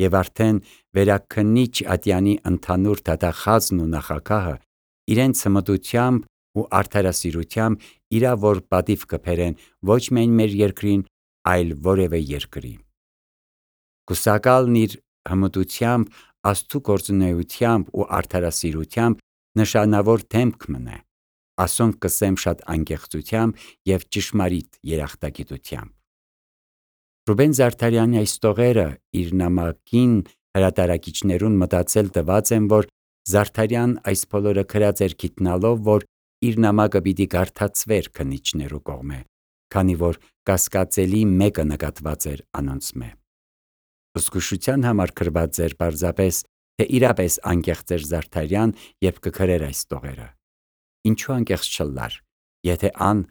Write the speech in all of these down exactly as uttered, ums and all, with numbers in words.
եւ արդեն վերաքննիչ ատյանի ընդհանուր դատախազն ու նախագահը իրենց հմտությամբ ու արդարասիրությամբ իրա որ պատիվ կբերեն ոչ միայն մեր երկրին, այլ որևէ երկրի։ Կուսակալն իր հմտությամբ, Աստծու գործունեությամբ ու արդարասիրությամբ նշանավոր դեմք մնե, ասոնք կսեմ շատ անկեղծությամբ եւ ճշմարիտ երախտագիտությամբ։ Ռուբեն Զարդարյանի այս տողերը իր նամակին հրատարակիչներուն մտածել տված են, որ Զարդարյան այս բոլորը գրած էր գիտնալով, որ իր նամակը պիտի կարդացվեր քննիչներու կողմէ, քանի որ կասկածելի մեկը նկատված էր անոնցմէ։ Զգուշության համար գրված էր պարզապես, թե իրապես անկեղծ էր Զարդարյան եւ կգրեր այս տողերը։ Ինչու անկեղծ չլար, եթե ան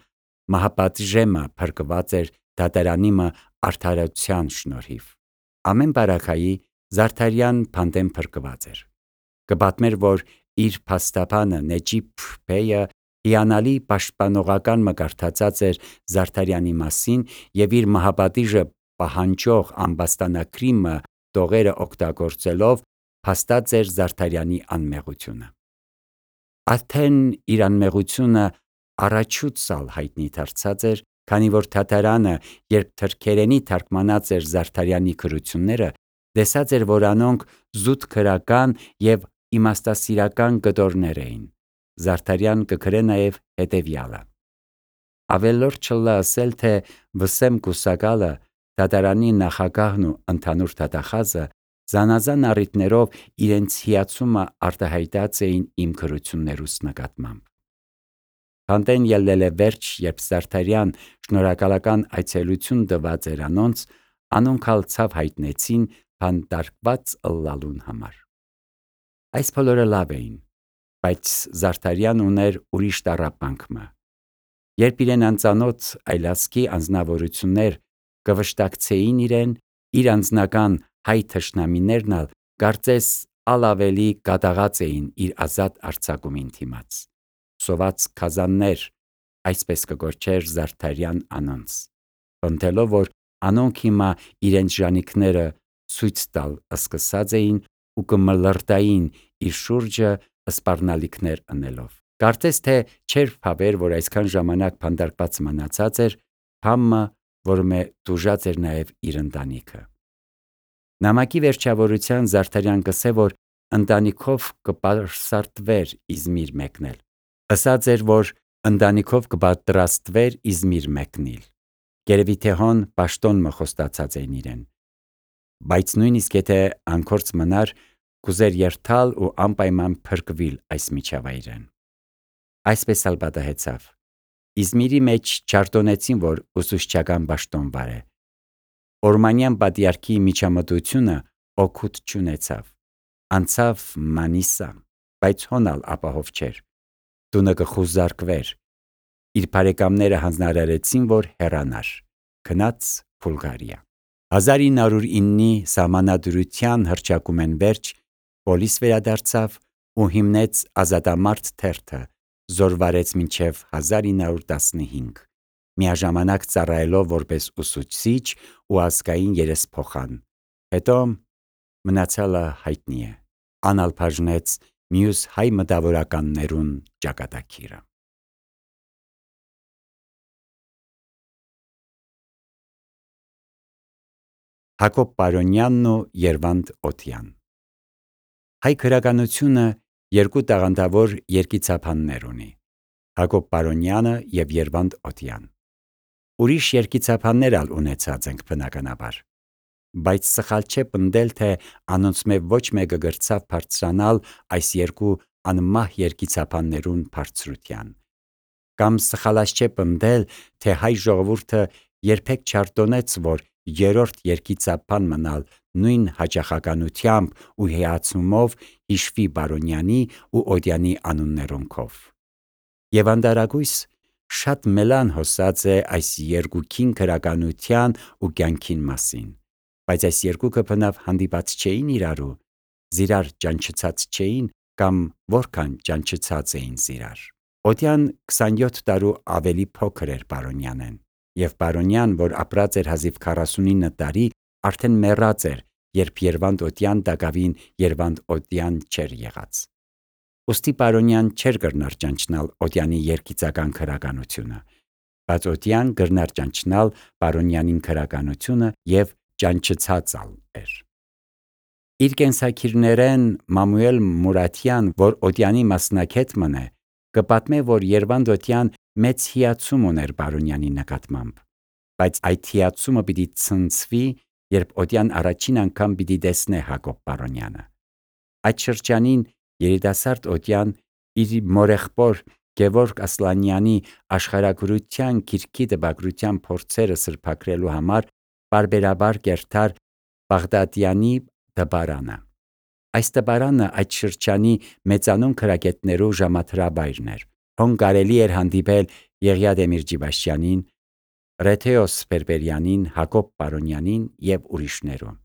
մահապատժեմը փրկված էր դատարանիմը արդարության շնորհիվ։ Ամեն բարակայի Զարդարյան փանդեն փրկված էր։ Կպատմեր, որ իր փաստաբանը Նեջիբ բեյը հիանալի պաշտպանողական մկարդացած էր Զարդարյանի մասին եւ իր մահապատիժը պահանջող ամբաստանագրիմը տողերը օգտագործելով փաստած էր Զարդարյանի անմեղությունը։ Արդեն իր անմեղությունը առաջուց ալ հայտնի դարձած էր, քանի որ դատարանը, երբ թրքերենի թարգմանած էր Զարդարյանի գրությունները, տեսած էր, որ անոնք զուտ քրական եւ իմաստասիրական գտորներ էին։ Զարդարյան կգրե նաեւ հետեւյալը. ավելորդ չլա ասել, թե վսեմ կուսակալը, դատարանի նախագահն ու ընդհանուր դատախազը զանազան առիթներով իրենց հիացումը արտահայտած էին իմ գրություններուս նկատմամբ։ Փանդեն ելնել է վերջ, երբ Զարդարյան շնորհակալական այցելություն տված էր անոնց, անոնք ալ ցավ հայտնեցին փանդարկված ըլլալուն համար։ Այս բոլորը լավ էին, բայց Զարդարյան ուներ ուրիշ տառապանք մը։ Երբ իրեն անծանոթ այլազգի անձնավորություններ կվշտակցեին իրեն, իր անձնական հայ թշնամիներն ալ կարծես ալ ավելի կատաղած էին իր ազատ արձակումին դիմաց։ Սոված քազաններ, այսպես կգոչեր Զարդարյան անոնց, պնդելով, որ անոնք հիմա իրենց ժանիքները ցույց տալ սկսած էին ու կմլրտային իր շուրջը սպառնալիքներ ընելով։ Կարծես թե չէր փաբեր, որ այսքան ժամանակ փանդարկված մնացած էր, համը, որը դուժած էր նաև իր ընտանիքը։ Նամակի վերջավորության Զարդարյան կսե, որ ընտանիքով կպարսարտվեր Իզմիր մեկնել։ Ըսած էր, որ ընտանիքով կպատրաստվեր Իզմիր մեկնիլ։ Գերևի թե հոն պաշտոն մը խոստացած էին իրեն։ Բայց նույնիսկ եթե անկորձ մնար, կուզեր երթալ ու անպայման փրկվիլ այս միջավայրեն։ Այսպես ալ պատահեցավ։ Իզմիրի մեջ չարտոնեցին, որ ուսուցչական պաշտոն վարե։ Օրմանյան պատիարքի միջամտությունը օգուտ չունեցավ։ Անցավ Մանիսա, բայց հոնալ ապահով չէր։ Տունը կխուզարկվեր։ Իր բարեկամները հանձնարարեցին, որ հեռանար, գնաց Բուլղարիա։ հազար ինը հարյուր իննի սահմանադրության հռչակումեն վերջ պոլիս վերադարձավ ու հիմնեց ազատամարդ թերթը, զորվարեց մինչև հազար ինը հարյուր տասնհինգ, միաժամանակ ծառայելով որպես ուսուցիչ ու ազգային երեսփոխան։ Հետո մնացյալը հայտնի է։ Անալ բաժնեց մյուս հայ մտավորականներուն ճակատագիրը։ Հակոբ Պարոնյանն ու Երվանդ Օթյան։ Հայ գրականությունը երկու տաղանդավոր երգիծափաններ ունի՝ Հակոբ Պարոնյանը եւ Երվանդ Օթյան։ Ուրիշ երգիծափաններ ալ ունեցած ենք բնականաբար, բայց սխալ չէ պնդել, թե անոնցմե ոչ մեկը գրծավ բարձրանալ այս երկու անմահ երգիծափաններուն բարձրության։ Կամ սխալած չէ պնդել, թե հայ ժողովուրդը երբեք չարտոնեց, որ երրորդ երգիծափան մնալ նույն հաճախականությամբ ու հիացումով հիշվի Պարոնյանի ու Օթյանի անուններոնքով։ Եվանդարագույս շատ մելան հոսած է այս երկուքին գրականության ու կյանքին մասին, բայց այս երկուքը բնավ հանդիպած չէին իրարու, զիրար ճանչցած չէին կամ որքան ճանչցած էին զիրար։ Օթյան քսանյոթ տարու ավելի փոքր էր Պարոնյանեն, եւ Պարոնյան, որ ապրած էր հազիվ քառասունինը տարի, արդեն մեռած էր երբ Երվանդ Օդյան դակավին Երվանդ Օդյան չէր եղած։ Ոստի Պարոնյան չէր գրնար ճանչնալ Օդյանի երգիծական քրականությունը, բայց Օդյան գրնար ճանչնալ Պարոնյանին քրականությունը եւ ճանչցածալ էր։ Իր կենսակիրներեն Մամուել Մուրաթյան, որ Օդյանի մասնակետ մնե, կպատմե, որ Երվանդ Օդյան մեծ հիացում ուներ Պարոնյանի նկատմամբ, բայց այդ հիացումը պիտի ցնցվի, երբ Օդյան առաջին անգամ պիտի տեսնե Հակոբ Պարոնյանը։ Այդ շրջանին երիտասարդ Օդյան իր մորեղբոր Գևորգ Ասլանյանի աշխարհագրության գիրքի տպագրության փորձերը սրբագրելու համար բարբերաբար կերտար Բաղդադյանի դպարանը։ Այս դպարանը այդ շրջանի մեծանուն քրագետներու ժամադրաբայրն էր։ Հոն կարելի էր հանդիպել Եղիա Դեմիրճիբաշյանին, Ռեթեոս Բերբերյանին, Հակոբ Պարոնյանին եւ ուրիշներուն։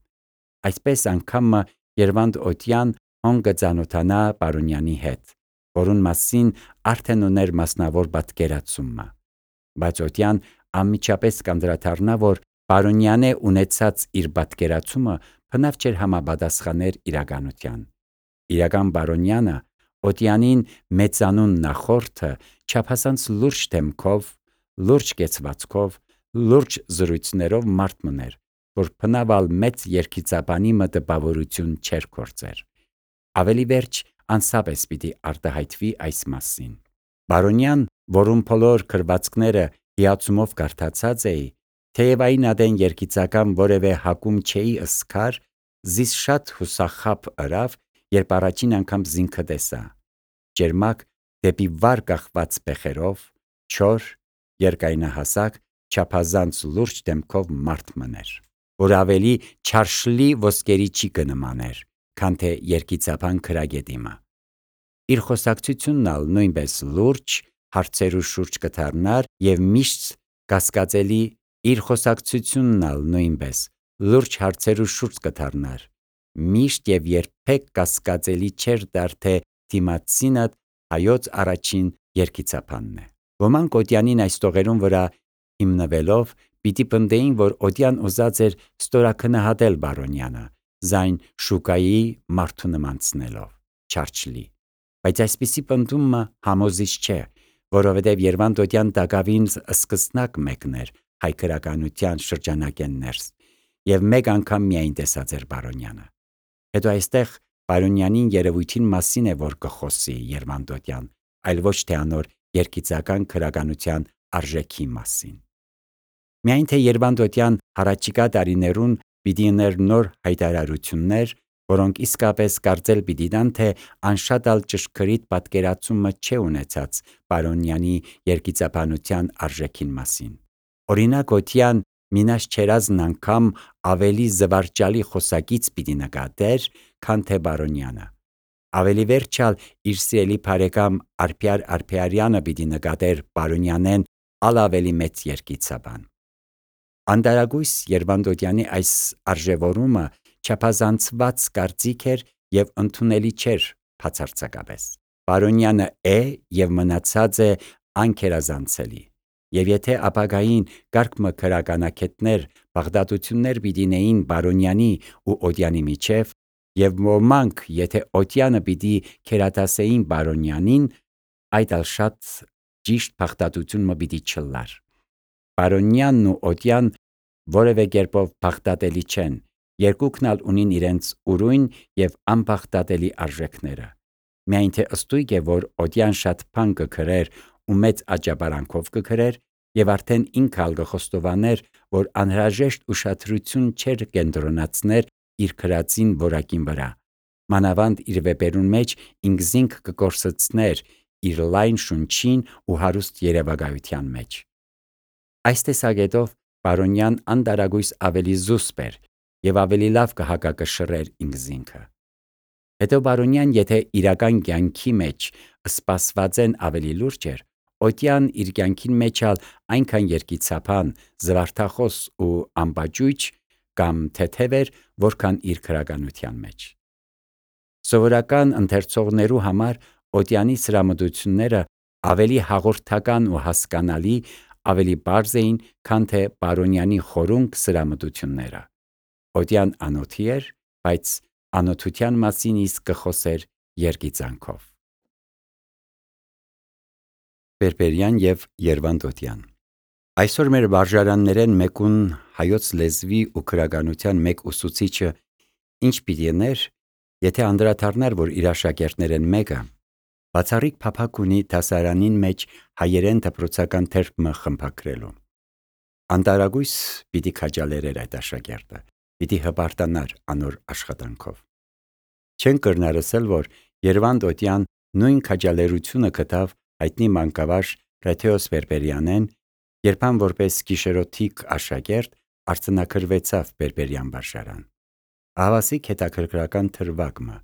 Այսպես անգամ Երվանդ Օդյան հոն կծանոթանա Պարոնյանի հետ, որուն մասին արդեն ուներ մասնավոր պատկերացումը։ Բայց Օդյան անմիջապես կանդրադառնա, որ Պարոնյանե ունեցած իր պատկերացումը բնավ չէր համապատասխաներ իրականության։ Իրական Պարոնյանը Օդյանին մեծանուն նախորդը չափազանց լուրջ դեմքով, լուրջ կեցվածքով, լուրջ զրույցներով մարդ մներ, որ բնավալ մեծ երգիծաբանի մտաբավորություն չէր կործեր։ Ավելի վերջ անսապես պիտի արտահայտվի այս մասին։ Պարոնյան, որում բոլոր գրվածքները հիացումով կարդացած էի, թեև այն ադեն երգիծական որևէ հակում չէի ըսկար, զիս շատ հուսախաբ ըրավ, երբ առաջին անգամ զինքը տեսա։ Ջերմակ դեպի վար կախված բեխերով, չոր, երկայնահասակ, չափազանց լուրջ դեմքով մարդ մներ, որ ավելի չարշլի ոսկերիչի կնմաներ, քան թե երգիծաբան քրագետիմը։ Իր խոսակցությունն ալ նույնպես լուրջ, հարցերու շուրջ կդառնար եւ միշտ կասկածելի, իր խոսակցությունն ալ նույնպես լուրջ հարցերու շուրջ կդառնար, միշտ եւ երբեք կասկածելի չէր դար, թե դիմացինը հայոց առաջին երգիծաբանն է։ Ոմանք Օդյանին այս տողերուն վրա հիմնվելով պիտի պնդեին, որ Օդյան ուզած էր ստորաքնահատել Պարոնյանը, զայն շուկայի մարդու նմանցնելով, չարչլի։ Բայց այսպիսի պնդումը համոզիչ չէ, որովհետև Երվանդ Օդյան դակավին սկզբնակ մեկն էր հայ գրականության շրջանակեն ներս, եւ մեկ անգամ միայն տեսած էր Պարոնյանը։ Հետո այստեղ Պարոնյանին երևույթին մասին է, որ կխոսի Երվանդ Օդյան, այլ ոչ թե անոր երգիծական քրականության արժեքի մասին։ Միայն թե Երվանդ Օդյան հարաճիկա տարիներուն պիտի ուներ նոր հայտարարություններ, որոնք իսկապես կարծել պիտի տան, թե անշատ ալ ճշգրիտ պատկերացումը չէ ունեցած Պարոնյանի երգիծաբանության արժեքին մասին։ Օրինակ Օդյան մինաշ չերազն անգամ ավելի զվարճալի խոսակից պիտի նկատեր, քան թե Պարոնյանը։ Ավելի վերջալ իր սիրելի բարեկամ Արփյար Արփյարյանը պիտի նկատեր Պարոնյանեն ալ ավելի մեծ երգիծաբան։ Անդարագույս Երվանդ Օդյանի այս արժևորումը չափազանցված կարծիք էր եւ ընդունելի չէր բացարձակապես։ Պարոնյանը է եւ մնացած է անկերազանցելի։ Եվ եթե ապագային կարգմը քրականակետներ բաղդատություններ պիտինեին Պարոնյանի ու Օդյանի միջև, եւ ոմանք եթե Օդյանը պիտի քերատասեին Պարոնյանին, այդ ալ շատ ճիշտ բաղդատություն մը պիտի չլար։ Պարոնյանն ու Օդյան որևէ կերպով բաղդատելի չեն, երկուքն ալ ունին իրենց ուրույն եւ անբաղդատելի արժեքները։ Միայն թե ըստույգ է, որ Օդյան շատ բան կգրեր ու մեծ աճապարանքով կգրեր, եւ արդեն ինքը ալ կխոստովաներ, որ անհրաժեշտ ուշադրություն չէր կենտրոնացներ իր գրածին որակին վրա, մանավանդ իր վեպերուն մեջ ինքզինք կկորսեցներ իր լայն շունչին ու հարուստ երևակայության մեջ։ Այս տեսակետով Պարոնյան անդարագույս ավելի զուսպ էր եւ ավելի լավ կհակակշռեր ինքզինքը։ Հետո Պարոնյան, եթե իրական կյանքի մեջ սպասվածեն ավելի լուրջ էր, Օդյան իր կյանքին մեջ ալ այնքան երգիծաբան, զվարթախոս ու ամբաջույջ կամ թեթև էր, որքան իր քրականության մեջ։ Սովորական ընթերցողներու համար Օդյանի սրամտությունները ավելի հաղորդական ու հասկանալի, ավելի պարզ էին, քան թե Պարոնյանի խորունկ սրամտությունները։ Օդյան անոթի էր բայց անօթության մասին իսկ կխոսեր երգիծանքով։ Բերբերյան եւ Երվանդոտյան Այսօր մեր վարժարաններեն մեկուն հայոց լեզվի ու քրագանության մեկ ուսուցիչը ինչ պիտի ներ, եթե անդրադառնար, որ իր աշակերտներեն մեկը բացառիկ փափակ ունի դասարանին մեջ հայերեն դպրոցական թերթը խմբագրելու։ Անտարագույս պիտի քաջալերեր այդ աշակերտը, պիտի հպարտանար անոր աշխատանքով։ Չեն կրնարսել, որ Երվանդոտյան նույն քաջալերությունը գտավ հայտնի մանկավարժ Ռեթեոս Բերբերյանեն, երբ ան որպես գիշերօթիկ աշակերտ արձանագրվեցավ Բերբերյան վարժարան։ Ահավասիկ հետաքրքրական թրվագը,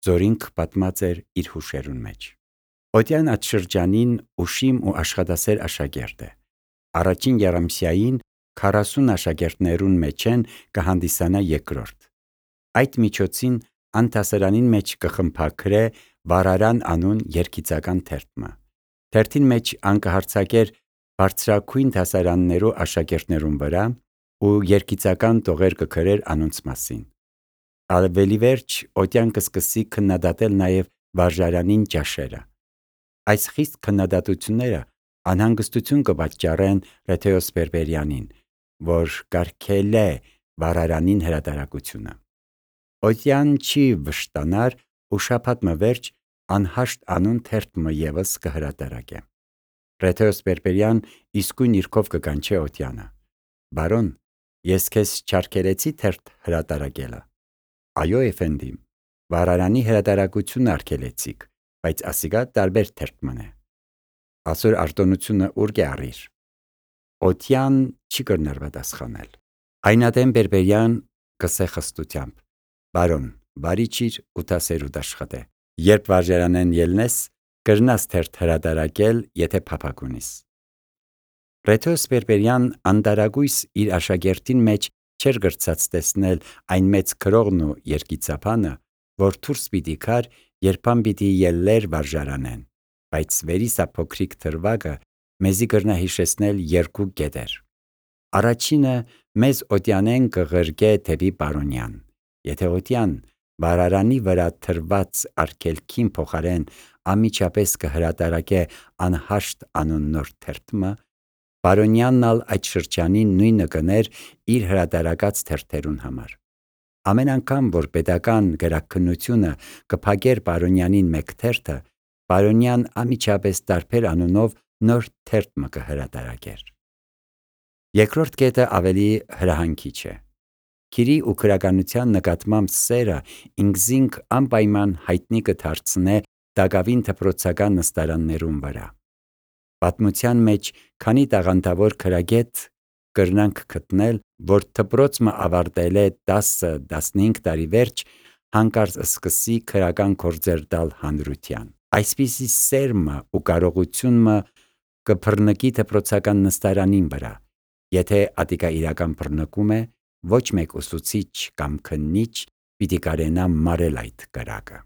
զորինք պատմած էր իր հուշերուն մեջ։ Օտյան այդ շրջանին ուշիմ ու աշխատասեր աշակերտ է։ Առաջին եռամսյային քառասուն աշակերտներուն մեջ են կհանդիսանա երկրորդ։ Այդ միջոցին ան դասարանին մեջ կխմբագրե վարարան անուն երգիծական թերթը։ Թերթին մեջ ան կհարցակեր բարձրակույն դասարաններու աշակերտներուն վրա ու երգիծական տողեր կգրեր անոնց մասին։ Ավելի վերջ օտյան կսկսի քննադատել նաև վարժարանին ճաշերը։ Այս խիստ քննադատությունները անհանգստություն կպատճառեն Ռեթեոս Բերբերյանին, որ կարգել է վարարանին հրատարակությունը։ Օտյան չի վշտանար ու շաբաթ վերջ անհաշտ անուն թերթը ևս կհրատարակե։ Ռեթեոս Բերբերյան իսկույն իրքով կկանչե օտյանը. «Բարոն, ես քեզ չարգելեցի թերթ հրատարակելը»։ «Այո, էֆենդիմ, վարարանի հրատարակությունը արգելեցիք, բայց ասիկա տարբեր թերթ մնե»։ «Ասոր արտոնությունը ուր կյարիր»։ Օտյան չի կրնար պատասխանել։ Այնադեմ Բերբերյան կսե խստությամբ. «Բարոն, բարի ճիր ու տասերուտ աշխատե։ Երբ վարժարանեն ելնես, կրնաս թերթ հրատարակել, եթե փափակ ունիս»։ Ռեթեոս Բերբերյան անտարագույս իր աշակերտին մեջ չէր գրծած տեսնել այն մեծ գրողն ու երգիծապանը, որ դուրս պիտի գար, երբ ան պիտի ելլեր վարժարանեն, բայց վերիսա փոքրիկ թրվագը մեզի կրնա հիշեցնել երկու կետեր։ Առաջինը մեզ օտյանեն կղրկե դեպի Պարոնյան, եթե օտյան վարարանի վրա թրված արգելքին փոխարեն անմիջապես կհրատարակե անհաշտ անուն նոր թերթը, Պարոնյանն ալ այդ շրջանին նույնը կներ իր հրատարակած թերթերուն համար։ Ամեն անգամ, որ պետական գրաքննությունը կփակեր Պարոնյանին մեկ թերթը, Պարոնյան անմիջապես տարբեր անունով նոր թերթ կհրատարակեր։ Երկրորդ կետը ավելի հրահանգիչ է։ Քիրի ու քրագանության նկատմամբ սերը ինքզինք անպայման հայտնի կդարձնե դակավին դպրոցական նստարաններուն վրա։ Պատմության մեջ քանի տաղանդավոր քրագետ կրնանք գտնել, որ դպրոցը ավարտել է դասը-դասնհինգ տարի վերջ, հանկարծ սկսի քրական գործեր տալ հանրության։ Այսպիսի սերմը ու կարողությունը կբռնկի դպրոցական նստարանին վրա, եթե ատիկա իրական բռնկում է, ոչ մեկ ուսուցիչ կամ քննիչ պիտի կարենա մարել այդ կրակը։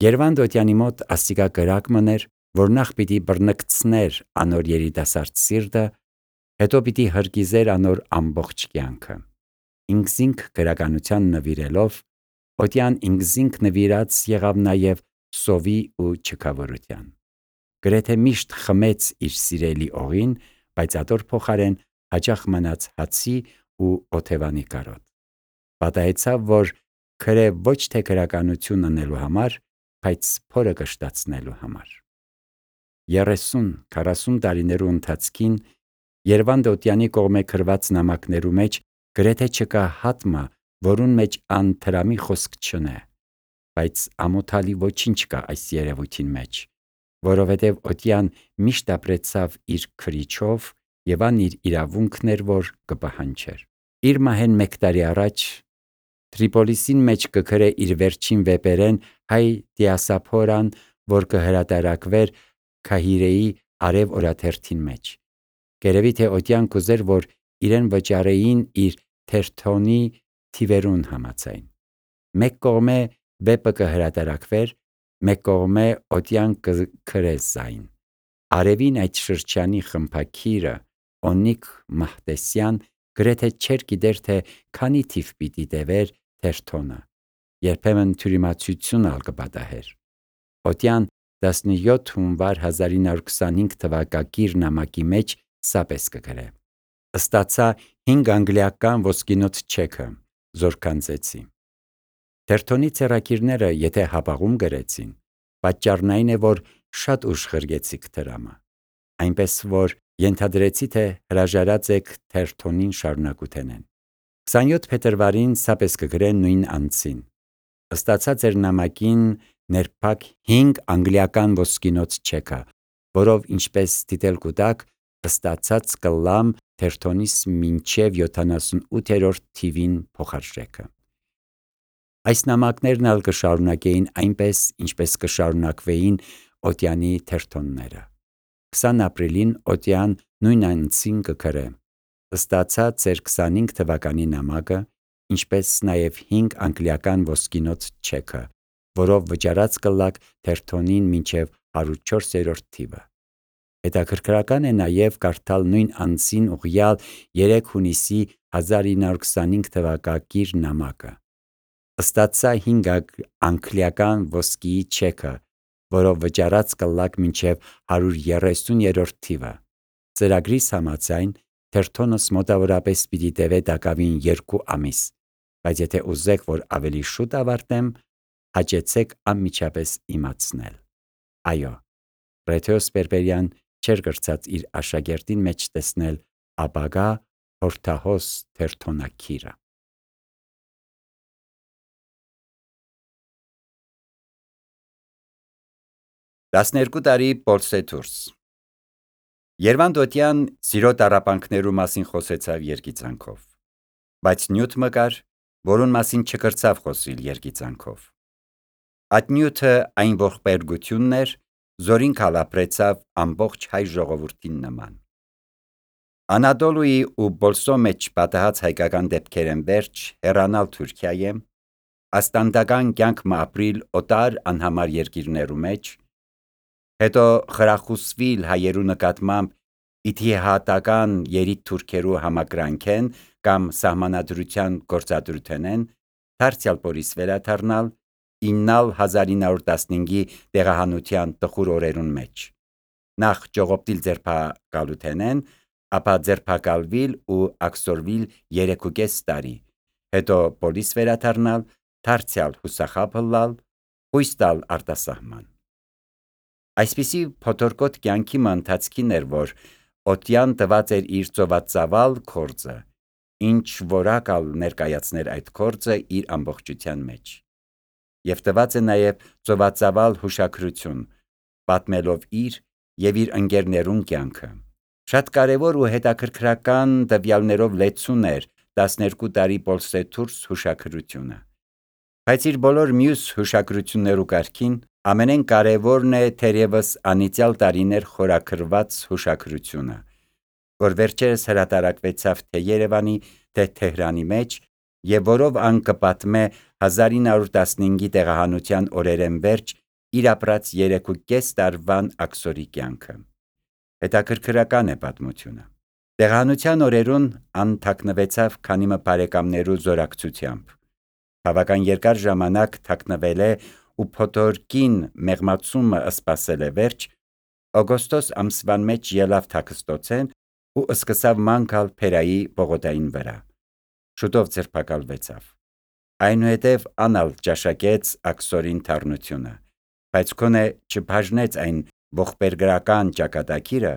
Երվանդոտյանի մոտ ասիկա կրակ մներ, որ նախ պիտի բռնկցներ անոր երիտասարդ սիրտը, հետո պիտի հրկիզեր անոր ամբողջ կյանքը։ Ինքզինք գրականության նվիրելով, օտյան ինքզինք նվիրած եղավ նաև սովի ու չքավորության։ Գրեթե միշտ խմեց իր սիրելի օղին, բայց ատոր փոխարեն հաճախ մնաց հացի ու օթևանի կարոտ։ Պատահեցավ, որ քրե ոչ թե գրականություն անելու համար, բայց փորը կշտացնելու համար։ երեսուն-քառասուն տարիներու ընթացքին Երվանդոտյանի կողմէ գրված նամակներու մեջ գրեթե չկա հատմը, որուն մեջ ան թրամի խոսք չնե, բայց ամոթալի ոչինչ կա այս երևույթին մեջ, որովհետև օտյան միշտ ապրեցավ իր քրիչով եւ ան իր իրավունքն էր, որ կպահանջեր։ Իր մահեն մեկ տարի առաջ Տրիպոլիսին մեջ կգրե իր վերջին վեպերեն հայ դիասապորան, որ կհրատարակվեր Քահիրեի արև օրաթերթին մեջ։ Գերևի թե օտյան կուզեր, որ իրեն վճարեին իր թերթոնի թիվերուն համաձայն։ Մեկ կողմէ վեպը կհրատարակվեր, մեկ կողմէ օտյան կգրե զայն։ Արևին այդ շրջանի խմբագիրը Օնիկ Մահտեսյան գրեթե չէր գիտեր, թե քանի թիվ պիտի տևեր թերթոնը, երբեմն թյուրիմացություն ալ կպատահեր։ Օտյան տասնյոթ հունվար հազար ինը հարյուր քսանհինգ թվակակիր նամակի մեջ սապես կգրե. «Ստացա հինգ անգլիական ոսկինոց չեքը, զորքանձեցի»։ Թերթոնի ցեղակիրները եթե հապաղում գրեցին, պատճառն այն է, որ շատ ուշ խրգեցիք դրամը, այնպես որ ենթադրեցի, թե հրաժարած եք թերթոնին շարունակութենեն։ քսանյոթ փետրվարին սապես կգրեն նույն անձին. «Ստացա ձեր նամակին ներփակ հինգ անգլիական ոսկինոց չեքը, որով ինչպես դիտել կուտաք, ստացած կլամ թերթոնիս մինչև յոթանասունութերորդ թիվին փոխարժեքը»։ Այս նամակներն ալ կշարունակեին այնպես, ինչպես կշարունակվեին Օտյանի թերթոնները։ քսան ապրիլին Օտյան նույն անձին կգրե. «Ստացա ձեր քսանհինգ թվականի նամակը, ինչպես նաև հինգ անգլիական ոսկինոց չեքը, որով վճարած կլաք թերթոնին մինչև հարյուր չորսերորդ թիվը»։ Հետաքրքրական է նաև կարդալ նույն անձին ուղղյալ երեք հունիսի հազար ինը հարյուր քսանհինգ թվակակիր նամակը. «Ստացա հինգ անգլիական ոսկիի չեքը, որով վճարած կլաք մինչև հարյուր երեսուներորդ թիվը»։ Ծրագրիս համաձայն թերթոնս մոտավորապես պիտի տևե տակավին երկու ամիս, բայց եթե ուզեք, որ ավելի շուտ ավարտեմ, հաճեցեք անմիջապես իմացնել։ Այո, Ռեթեոս Պերպերյան չէր կրցած իր աշակերտին մեջ տեսնել ապագա հորդահոս թերթոնակիրը։ տասներկու տարի Պոլսեթուրս Երվանդ Օտյան սիրո տառապանքներու մասին խոսեցավ երգիծանքով, բայց նյութ մը կար, որուն մասին չկրցավ խոսիլ երգիծանքով։ Այդ նյութը այն ողբերգությունն էր, զորին քալապրեցավ ամբողջ հայ ժողովուրդին նման։ Անադոլուի ու Բոլսո մեջ պատահած հայկական դեպքերեն վերջ հեռանալ Թուրքիայեմ, աստանդական կյանք մը ապրիլ օտար անհամար երկիրներու մեջ, հետո խրախուսվիլ հայերու նկատմամբ իթիհատական երիտ թուրքերու համակրանքեն կամ սահմանադրության գործադրութենեն, դարձյալ Պորիս վերադառնալ, իննալ հազար ինը հարյուր տասնհինգի տեղահանության տխուր օրերուն մեջ, նախ ճողոպտիլ ձերբակալութենեն, ապա ձերբակալվիլ ու աքսորվիլ երեքուկես տարի, հետո Պորիս վերադառնալ, դարձյալ հուսախաբ հլալ, խույս տալ արտասահման։ Այսպիսի փոթորկոտ կյանքի մը ընթացքին էր, որ Օտյան տված էր իր ծովածավալ գործը, ինչ որակ ալ ներկայացներ այդ գործը իր ամբողջության մեջ, և տված է նաև ծովածավալ հուշագրություն, պատմելով իր և իր ընկերներուն կյանքը։ Շատ կարևոր ու հետաքրքրական տվյալներով լեցուն էր տասներկու տարի Պոլսեթուրս հուշագրությունը, բայց իր բոլոր մյուս հուշագրություններու կարգին ամենեն կարևորն է թերևս անիծյալ տարիներ խորագրված հուշագրությունը, որ վերջերս հրատարակվեցավ թե Երևանի, թե Թեհրանի մեջ, և որով ան կպատմե հազար ինը հարյուր տասնհինգի տեղահանության օրերեն վերջ իր ապրած երեքուկես տարվան աքսորի կյանքը։ Հետաքրքրական է պատմությունը։ Տեղահանության օրերուն ան թաքնվեցավ քանի մը բարեկամներու զորակցությամբ, բավական երկար ժամանակ թաքնվել է ու փոթորկին մեղմացումը սպասել է վերջ, օգոստոս ամսվան մեջ ելավ թաքստոցեն ու սկսավ ման գալ Փերայի պողոտային վրա, շուտով ձերբակալվեցավ։ Այնուհետև ան ալ ճաշակեց աքսորին թառնությունը, բայց քոնե չբաժնեց այն ողբերգական ճակատագիրը,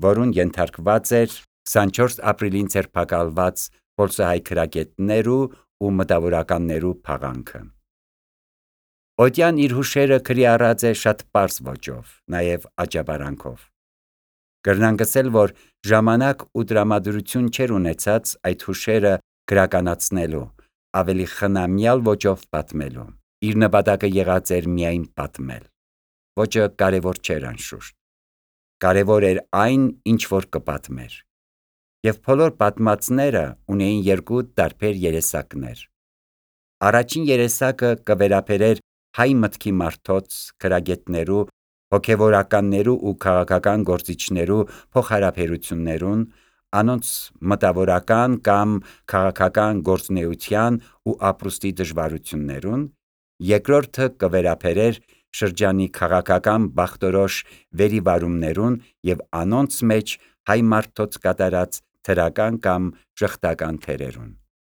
որուն ենթարկված էր քսանչորս ապրիլին ձերբակալված պոլսահայ գրագետներու ու մտավորականներու փաղանքը։ Օտյան իր հուշերը գրի առած է շատ պարզ ոճով, նաև աճապարանքով։ Կրնանք ասել, որ ժամանակ ու տրամադրություն չէր ունեցած այդ հուշերը գրականացնելու, ավելի խնամյալ ոճով պատմելու։ Իր նպատակը եղած էր միայն պատմել։ Ոճը կարևոր չէր անշուշտ։ Կարևոր էր այն, ինչ որ կպատմեր։ Եվ բոլոր պատմածները ունեին երկու տարբեր երեսակներ։ Առաջին երեսակը կվերաբերեր հայ մտքի մարդոց, գրագետներու, հոգևորականներու ու քաղաքական գործիչներու փոխհարաբերություններուն, անոնց մտավորական կամ քաղաքական գործունեության ու ապրուստի դժվարություններուն, երկրորդը կվերաբերեր շրջանի քաղաքական բախտորոշ վերիվարումներուն եւ անոնց մեջ հայ մարդոց կատարած թրական կամ ժխտական թերերուն։